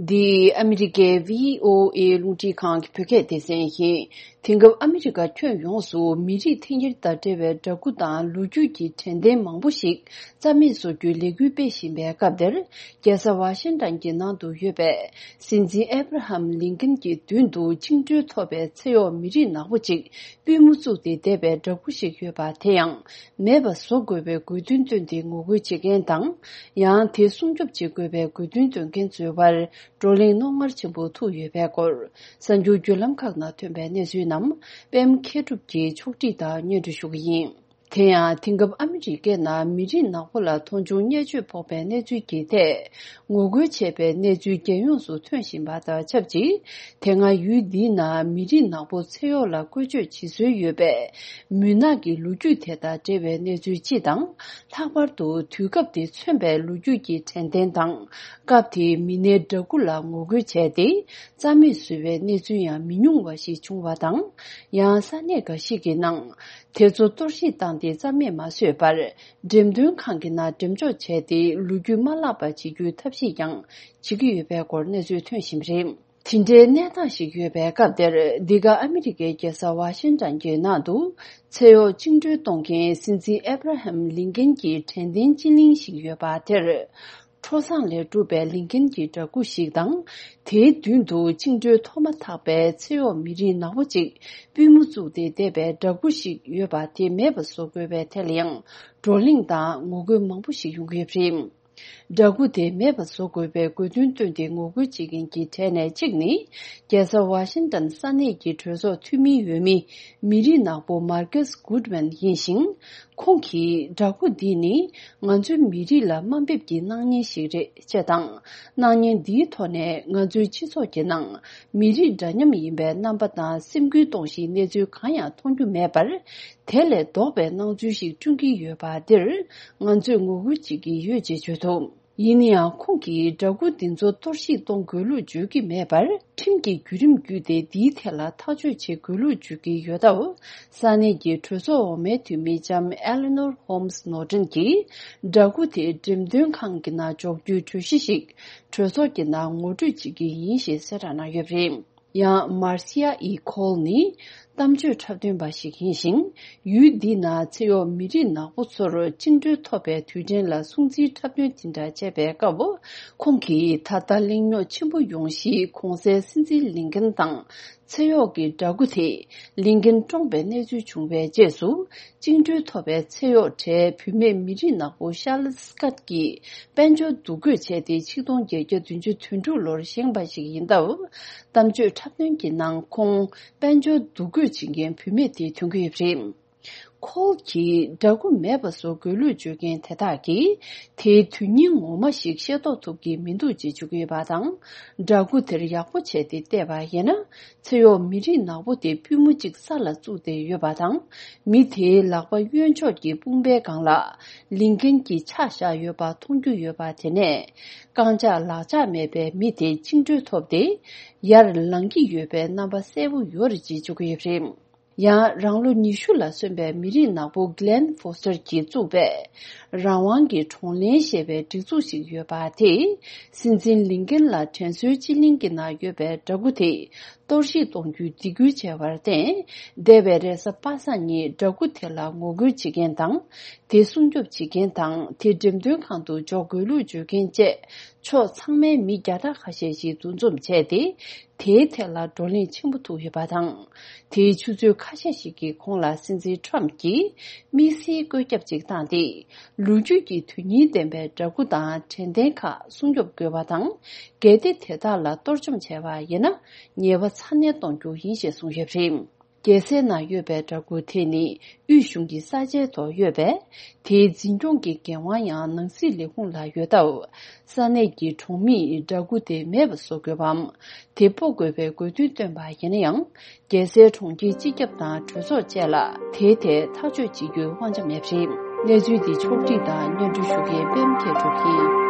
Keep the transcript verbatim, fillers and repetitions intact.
འདི་ཨ་མི་རི་ཀའི་བྷི་ཨོ་ཨེ་རླུང་འཕྲིན་ཁང་གི་བོད་སྐད་སྡེ་ཚན་ཡིན། དེང་སྐབས་ཨ་མི་རི་ཀ་ཁྱོན་ཡོངས་སུ་མི་རིགས་འཐེན་འཁྱེར་དང་འབྲེལ་བའི་འདྲ་སྐུ་དང་ལོ་རྒྱུས་ཀྱི་དྲན་རྟེན་མང་པོ་ཞིག་རྩ་མེད་བཟོ་རྒྱུའི་ལས་འགུལ་སྤེལ་བཞིན་པའི་སྐབས་དེར། རྒྱལ་ས་ཝ་ཤིང་ཏན་གྱི་ནང་དུ་ཡོད་པའི་སྲིད་འཛིན་ཨེ་བྷ་ར་ཧམ་ལིན་ཀན་གྱི་མདུན་དུ་བཅིངས་འགྲོལ་ཐོབ་པའི་ཚེ་གཡོག་མི་རིགས་ནག་པོ་ཅིག་པུས་མོ་བཙུགས་ཏེ་བསྡད་པའི་འདྲ་སྐུ་ཞིག་ཡོད་པ་དེ་ཡང་མེད་པ་བཟོ་དགོས་པའི་དགོས་འདུན་བཏོན་ཏེ་ངོ་རྒོལ་བྱེད་མཁན་དང་། ཡང་དེ་སྲུང་སྐྱོབ་བྱེད་དགོས་པའི་དགོས་འདུན་འདོན་མཁན་ཚོའི་དབར་བགྲོ་གླེང་རྣོ་ངར་ཆེན་པོ་ཐུག་ཡོད་པའི་སྐོར། གསར་འགྱུར་བརྒྱུད་ལམ་ཁག་ནང་ཐོན་པའི་གནས་ཚུལ་རྣམས་པད་མ་མཁས་གྲུབ་ཀྱིས་ཕྱོགས་སྒྲིག་དང་སྙན་སྒྲོན་ཞུ་གི་ཡིན། དེ་ཡང་དེང་སྐབས་ཨ་མི་རི་ཀའི་ནང་མི་རིགས་ནག་པོ་ལ་མཐོང་ཆུང་བརྙས་བཅོས་ཕོག་པའི་གནས་ཚུལ་གྱི་ཐད་ངོ་རྒོལ་བྱས་པའི་གནས་ཚུལ་རྒྱལ་ཡོངས་སུ་ཐོན་བཞིན་པ་དང་ཆབས་ཅིག་དེ་སྔ་ཡུལ་འདིའི་ནང་མི་རིགས་ནག་པོ་ཚེ་གཡོག་ལ་བཀོལ་སྤྱོད་བྱེད་སྲོལ་ཡོད་པའི་མུན་ནག་གི་ལོ་རྒྱུས་དེ་དང་འབྲེལ་བའི་གནས་ཚུལ་སྤྱི་དང་། ལྷག་པར་དུ་དུས་སྐབས་དེ་མཚོན་པའི་ལོ་རྒྱུས་ཀྱི་དྲན་རྟེན་དང་། སྐབས་དེའི་མི་སྣའི་འདྲ་སྐུ་ལ་ངོ་རྒོལ་བྱས་ཏེ། རྩ་མེད་བཟོས་པའི་གནས་ཚུལ་ཡང་མི་ཉུང་བ་ཞིག་བྱུང་བ་དང་། ཡང་ས་གནས་འགའ་ཞིག་གི་ནང་། དེ་ཚོ་གཏོར་བཤིག་བཏང་སྟེ་རྩ་མེད་མ་བཟོས་པར། འགྲེམས་སྟོན་ཁང་གི་ནང་འགྲེམས་འཇོག་བྱས་ཏེ། ལོ་རྒྱུས་མ་བརླག་པ་བྱེད་རྒྱུའི་ཐབས་ཤེས་ཀྱང་བྱེད་ཀྱི་ཡོད་པའི་སྐོར་གནས་ཚུལ་ཐོན་བཞིན་པ་རེད། དེ་འདྲའི་གནས་སྟངས་ཤིག་ཡོད་པའི་སྐབས་དེར། འདི་ག་ཨ་མི་རི་ཀའི་རྒྱལ་ས་ཝ་ཤིང་ཏན་གྱི་ནང་དུ། ཚེ་གཡོག་བཅིངས་འགྲོལ་གཏོང་མཁན་སྲིད་འཛིན་ཨེ་བྷ་ར་ཧམ་ལིན་ཀན་གྱི་དྲན་རྟེན་སྤྱི་གླིང་ཞིག་ཡོད་པ་དེར། ཁྲོ་ཟངས་ལས་གྲུབ་པའི་ལིན་ཀན་གྱི་འདྲ་སྐུ་ཞིག་དང་། དེའི་མདུན་དུ་བཅིངས་འགྲོལ་ཐོབ་མ་ཐག་པའི་ཚེ་གཡོག་མི་རིགས་ནག་པོ་ཅིག་པུས་མོ་བཙུགས་ཏེ་བསྡད་པའི་འདྲ་སྐུ་ཞིག་ཡོད་པ་དེ་མེད་པ་བཟོ་དགོས་པའི་ཐད་ལ་ཡང་། བགྲོ་གླེང་དང་ངོ་རྒོལ་མང་པོ་ཞིག་ཡོང་གི་ཡོད་པ་རེད། འདྲ་སྐུ་དེ་མེད་པ་བཟོ་དགོས་པའི་དགོས་འདུན་བཏོན་ཏེ་ངོ་རྒོལ་བྱེད་མཁན་གྱི་གྲས་ནས་གཅིག་ནི། རྒྱལ་ས་ཝ་ཤིང་ཏན་ས་གནས་ཀྱི་གྲོས་ཚོགས་འཐུས་མི་འོས་མི་མི་རིགས་ནག་པོ་མར་ཀེས་གུད་མན་ཡིན་ཞིང་། ཁོང་གིས་འདྲ་སྐུ་འདི་ནི་ང་ཚོའི་མི་རིགས་ལ་དམའ་འབེབས་ཀྱི་སྣང་བརྙན་ཞིག་རེད་ཅེས་དང་། སྣང་བརྙན་འདིའི་ཐོག་ནས་ང་ཚོའི་སྤྱི་ཚོགས་ཀྱི་ནང་མི་རིགས་འདྲ་མཉམ་ཡིན་པའི་རྣམ་པ་དང་སེམས་འགུལ་གཏོང་གཞིའི་གནས་ཚུལ་གང་ཡང་མཐོང་རྒྱུ་མེད་པར། དེ་ལས་ལྡོག་པའི་སྣང་ཚུལ་ཞིག་བསྐྲུན་གྱི་ཡོད་པ་འདིར་ང་ཚོས་ངོ་རྒོལ་བྱེད་ཀྱི་ཡོད་ཅེས་བརྗོད་འདུག་ཡིན་ན་ཡང་ཁོང་གིས་འདྲ་སྐུ་འདི་ཚོ་གཏོར་བཤིག་གཏོང་དགོས་ལུགས་བརྗོད་ཀྱི་མེད་པར། ཁྲིམས་ཀྱི་བརྒྱུད་རིམ་བརྒྱུད་དེ་འདིའི་ཐད་ལ་ཐག་གཅོད་བྱེད་དགོས་ལུགས་བརྗོད་ཀྱི་ཡོད་སྟབས། ས་གནས་ཀྱི་གྲོས་ཚོགས་འོག་མའི་འཐུས་མི་ལྕམ་ཨེ་ལི་ནོར་ཧོམ་སི་ནོར་ཏན་གྱིས། འདྲ་སྐུ་དེ་འགྲེམས་སྟོན་ཁང་གི་ནང་འཇོག་རྒྱུའི་གྲོས་གཞི་ཞིག་གྲོས་ཚོགས་ཀྱི་ནང་ངོ་སྤྲོད་བྱེད་ཀྱི་ཡིན་ཞེས་གསལ་བསྒྲགས་གནང་ཡོད་པ་རེད། ཡང་མར་སི་ཡ་ཨི་ཁོལ་ནི་གཏམ་བརྗོད་འཁྲབ་སྟོན་པ་ཞིག་ཡིན་ཞིང་། ཡུལ་འདི་ན་ཚེ་གཡོག་མི་རིགས་ནག་པོ་ཚོར་བཅིངས་འགྲོལ་ཐོབ་པའི་དུས་དྲན་ལ་སྲུང་བརྩིའི་འཁྲབ་སྟོན་དེ་འདྲ་བྱས་པའི་སྐབས། ཁོང་གིས་ད་ལྟ་གླེང་རྙོག་ཆེན་པོ་ཡོང་གཞིའི་གོང་གསལ་སྲིད་འཛིན་ལིན་ཀན་དང་ཚེ་གཡོག་གི་འདྲ་སྐུ་དེ་ལིན་ཀན་བཀྲོངས་པའི་གནས་ཚུལ་བྱུང་བའི་རྗེས་སུ། བཅིངས་འགྲོལ་ཐོབ་པའི་ཚེ་གཡོག་གྲས་བུད་མེད་མི་རིགས་ནག་པོ་ཤར་ལེ་སི་ཀད་ཀྱིས་དཔལ་འབྱོར་འདུ་འགོད་བྱས་ཏེ། ཆིག་སྟོང་བརྒྱད་བརྒྱ་བདུན་ཅུ་དོན་དྲུག་ལོར་བཞེངས་པ་ཞིག་ཡིན་སྟབས། གཏམ་བརྗོད་འཁྲབ་སྟོན་གྱི་ནང་ཁོང་དཔལ་འབྱོར་འདུ་འགོད་བྱེད་མཁན་བུད་མེད་དེ་ཐོན་གྱི་ཡོད་པ་རེད། ཁོལ་གྱིས་འདྲ་སྐུ་མེད་པ་བཟོ་དགོས་ལུགས་བརྗོད་མཁན་དེ་དག་གིས་དེའི་དོན་སྙིང་ངོ་མ་ཞིག་ཤེས་རྟོགས་ཐུབ་ཀྱི་མི་འདུག་ཅེས་བརྗོད་ཀྱི་ཡོད་པ་དང་། འདྲ་སྐུ་དེར་ཡག་པོ་བྱས་ཏེ་བལྟས་པ་ཡིན་ན། ཚེ་གཡོག་མི་རིགས་ནག་པོ་དེ་པུས་མོ་གཅིག་ས་ལ་བཙུགས་ཏེ་ཡོད་པ་དང་། མི་དེའི་ལག་པ་གཡོན་ཕྱོགས་ཀྱི་དཔུང་པའི་སྒང་ལ་ལིན་ཀན་གྱི་ཕྱག་བཞག་ཡོད་པ་མཐོང་རྒྱུ་ཡོད་པ། དེ་ནས་རྐང་ལྕགས་ལག་ལྕགས་མེད་པའི་མི་དེ་བཅིངས་འགྲོལ་ཐོབ་སྟེ་ཡར་ལངས་ཀྱི་ཡོད་པའི་རྣམ་པ་གསལ་པོ་ཡོད་རེད་ཅེས་བརྗོད་ཀྱི་ཡོད་པ་རེད། ཡང་རང་ལོ་ཉི་ཤུ་ལ་སོན་པའི་མི་རིགས་ནག་པོ་གི་ལན་ཧྥོ་སི་ཏར་གྱིས་བཙུགས་པའི་རང་དབང་གི་གྲོང་ལྷན་ཞེས་པའི་སྒྲིག་འཛུགས་ཤིག་ཡོད་པ་དེས། སྲིད་འཛིན་ལིན་ཀན་ལ་དྲན་གསོའི་སྤྱི་གླིང་གི་ནང་ཡོད་པའི་འདྲ་སྐུ་དེ་གཏོར་བཤིག་གཏོང་རྒྱུའི་སྡིགས་སྐུལ་བྱས་པར་བརྟེན། འདས་པའི་རེས་གཟའ་པ་སངས་ཉིན་འདྲ་སྐུ་དེ་ལ་ངོ་རྒོལ་བྱེད་མཁན་དང་། དེ་སྲུང་སྐྱོབ་བྱེད་མཁན་དང་། དེ་འགྲེམས་སྟོན་ཁང་དུ་འཇོག་དགོས་ལུགས་བརྗོད་མཁན་བཅས་ཕྱོགས་ཚང་མའི་མི་བརྒྱ་ཕྲག་ཁ་ཤས་ཤིག་འདུ་འཛོམས་བྱས་ཏེ། དེའི་ཐད་ལ་བགྲོ་གླེང་ཆེན་པོ་ཐུག་ཡོད་པ་དང་། དེའི་ཆུ་ཚོད་ཁ་ཤས་ཤིག་གི་གོང་ལ་སྲིད་འཛིན་ཁྲོམ་གྱིས་དམིགས་བསལ་བཀོད་ཁྱབ་ཅིག་བཏང་སྟེ། ལོ་རྒྱུས་ཀྱི་དོན་སྙིང་ལྡན་པའི་འདྲ་སྐུ་དང་དྲན་རྟེན་ཁག་སྲུང་སྐྱོབ་དགོས་པ་དང་། གལ་ཏེ་དེ་དག་ལ་གཏོར་བཅོམ་བྱས་པ་ཡིན་ན། ཉེས་པ་ཚ་ནན་གཏོང་རྒྱུ་ཡིན་ཞེས་གསུངས་ཡོད་པ་རེད། རྒྱལ་སའི་ནང་ཡོད་པའི་འདྲ་སྐུ་དེ་ནི་དབུས་གཞུང་གི་ས་ཆའི་ཐོག་ཡོད་པས། དེའི་འཛིན་སྐྱོང་གི་འགན་དབང་ཡང་ནང་སྲིད་ལས་ཁུངས་ལ་ཡོད་སྟབས། ས་གནས་ཀྱི་གྲོང་མིས་འདྲ་སྐུ་དེ་མེད་པ་བཟོ་དགོས་པའམ། དེ་སྤོ་དགོས་པའི་དགོས་འདུན་བཏོན་པ་ཡིན་ན་ཡང་། རྒྱལ་སའི་གྲོང་ཁྱེར་སྤྱི་ཁྱབ་དང་གྲོས་ཚོགས་བཅས་ལ་དེའི་ཐད་ཐག་གཅོད་བྱེད་རྒྱུའི་དབང་ཆ་མེད་པ་རེད། གནས་ཚུལ་འདི་ཕྱོགས་བསྒྲིགས་དང་སྙན་སྒྲོན་ཞུ་མཁན་པད་མ་མཁས་གྲུབ་ཡིན།